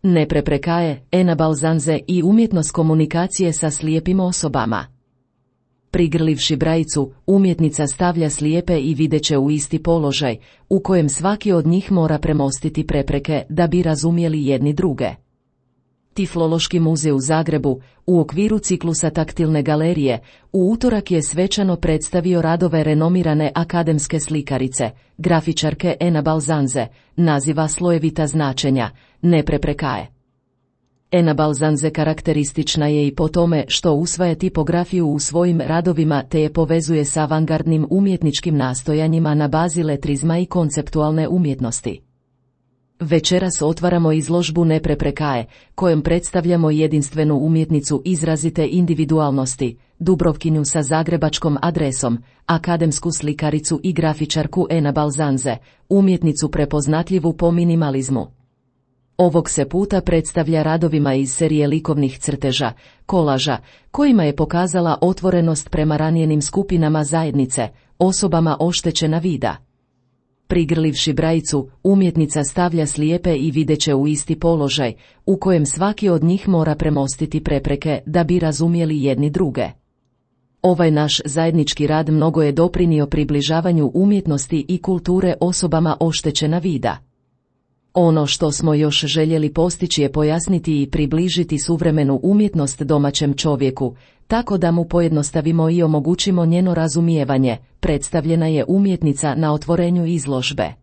Nepreprekaje, Ena Balzanze i umjetnost komunikacije sa slijepim osobama. Prigrlivši brajicu, umjetnica stavlja slijepe i videće u isti položaj, u kojem svaki od njih mora premostiti prepreke da bi razumjeli jedni druge. Tiflološki muzej u Zagrebu, u okviru ciklusa taktilne galerije, u utorak je svečano predstavio radove renomirane akademske slikarice, grafičarke Ena Balzanze, naziva slojevita značenja, nepreprekaje. Ena Balzanze karakteristična je i po tome što usvaja tipografiju u svojim radovima te je povezuje s avangardnim umjetničkim nastojanjima na bazi letrizma i konceptualne umjetnosti. Večeras otvaramo izložbu Nepreprekaje, kojom predstavljamo jedinstvenu umjetnicu izrazite individualnosti, Dubrovkinju sa zagrebačkom adresom, akademsku slikaricu i grafičarku Ena Balzanze, umjetnicu prepoznatljivu po minimalizmu. Ovog se puta predstavlja radovima iz serije likovnih crteža, kolaža, kojima je pokazala otvorenost prema ranjenim skupinama zajednice, osobama oštećena vida. Prigrlivši brajicu, umjetnica stavlja slijepe i videće u isti položaj, u kojem svaki od njih mora premostiti prepreke da bi razumjeli jedni druge. Ovaj naš zajednički rad mnogo je doprinio približavanju umjetnosti i kulture osobama oštećena vida. Ono što smo još željeli postići je pojasniti i približiti suvremenu umjetnost domaćem čovjeku, tako da mu pojednostavimo i omogućimo njeno razumijevanje, predstavljena je umjetnica na otvorenju izložbe.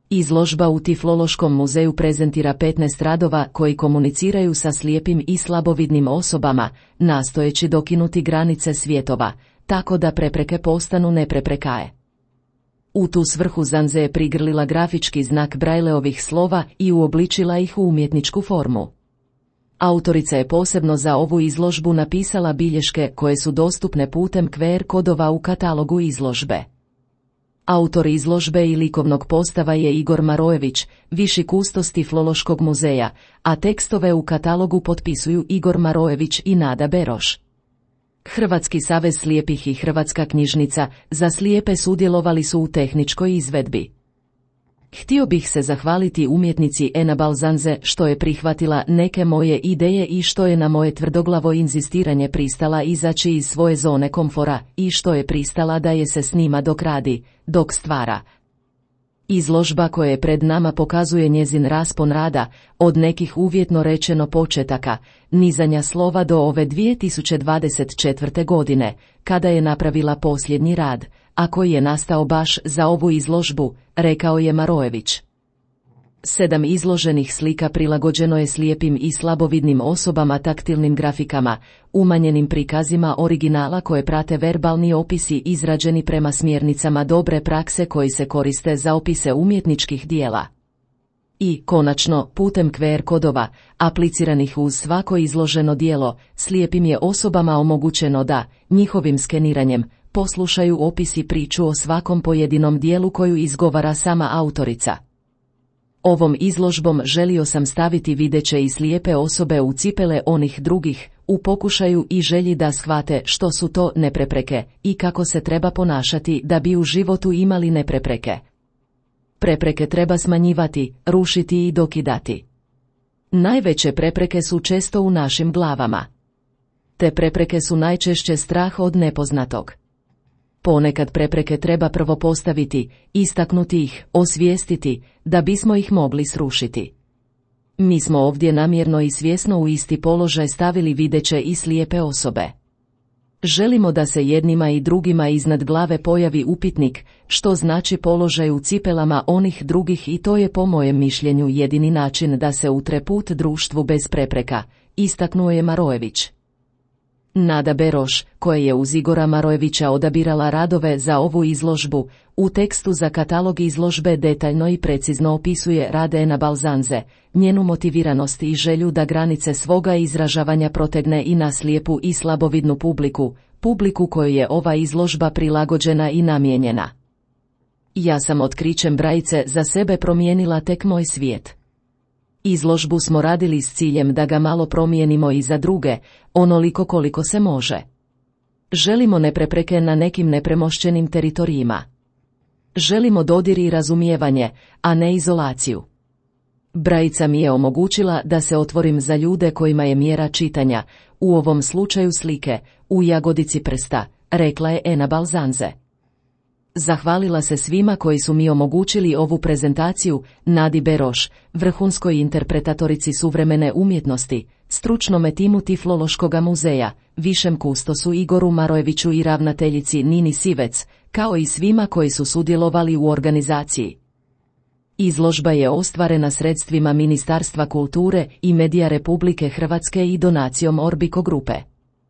Izložba u Tiflološkom muzeju prezentira 15 radova koji komuniciraju sa slijepim i slabovidnim osobama, nastojeći dokinuti granice svjetova, tako da prepreke postanu nepreprekaje. U tu svrhu Zanze je prigrlila grafički znak Brajleovih slova i uobličila ih u umjetničku formu. Autorica je posebno za ovu izložbu napisala bilješke koje su dostupne putem QR kodova u katalogu izložbe. Autor izložbe i likovnog postava je Igor Marojević, viši kustos Tiflološkog muzeja, a tekstove u katalogu potpisuju Igor Marojević i Nada Beroš. Hrvatski savez slijepih i Hrvatska knjižnica za slijepe sudjelovali su u tehničkoj izvedbi. Htio bih se zahvaliti umjetnici Ena Balzanze što je prihvatila neke moje ideje i što je na moje tvrdoglavo inzistiranje pristala izaći iz svoje zone komfora i što je pristala da je se snima dok radi, dok stvara. Izložba koja je pred nama pokazuje njezin raspon rada, od nekih uvjetno rečeno početaka, nizanja slova do ove 2024. godine, kada je napravila posljednji rad, a koji je nastao baš za ovu izložbu, rekao je Marojević. 7 izloženih slika prilagođeno je slijepim i slabovidnim osobama taktilnim grafikama, umanjenim prikazima originala koje prate verbalni opisi izrađeni prema smjernicama dobre prakse koji se koriste za opise umjetničkih dijela. I, konačno, putem QR kodova, apliciranih uz svako izloženo dijelo, slijepim je osobama omogućeno da, njihovim skeniranjem, poslušaju opis i priču o svakom pojedinom dijelu koju izgovara sama autorica. Ovom izložbom želio sam staviti videće i slijepe osobe u cipele onih drugih, u pokušaju i želji da shvate što su to neprepreke i kako se treba ponašati da bi u životu imali neprepreke. Prepreke treba smanjivati, rušiti i dokidati. Najveće prepreke su često u našim glavama. Te prepreke su najčešće strah od nepoznatog. Ponekad prepreke treba prvo postaviti, istaknuti ih, osvijestiti, da bismo ih mogli srušiti. Mi smo ovdje namjerno i svjesno u isti položaj stavili videće i slijepe osobe. Želimo da se jednima i drugima iznad glave pojavi upitnik, što znači položaj u cipelama onih drugih i to je po mojem mišljenju jedini način da se utre put društvu bez prepreka, istaknuo je Marojević. Nada Beroš, koja je uz Igora Marojevića odabirala radove za ovu izložbu, u tekstu za katalog izložbe detaljno i precizno opisuje rad Ena Balzanze, njenu motiviranost i želju da granice svoga izražavanja protegne i na slijepu i slabovidnu publiku kojoj je ova izložba prilagođena i namijenjena. Ja sam otkrićem Brajice za sebe promijenila tek moj svijet. Izložbu smo radili s ciljem da ga malo promijenimo i za druge, onoliko koliko se može. Želimo neprepreke na nekim nepremošćenim teritorijima. Želimo dodir i razumijevanje, a ne izolaciju. Brajica mi je omogućila da se otvorim za ljude kojima je mjera čitanja, u ovom slučaju slike, u jagodici prsta, rekla je Ena Balzanze. Zahvalila se svima koji su mi omogućili ovu prezentaciju, Nadi Beroš, vrhunskoj interpretatorici suvremene umjetnosti, stručnome timu Tiflološkoga muzeja, višem kustosu Igoru Marojeviću i ravnateljici Nini Sivec, kao i svima koji su sudjelovali u organizaciji. Izložba je ostvarena sredstvima Ministarstva kulture i medija Republike Hrvatske i donacijom Orbico grupe.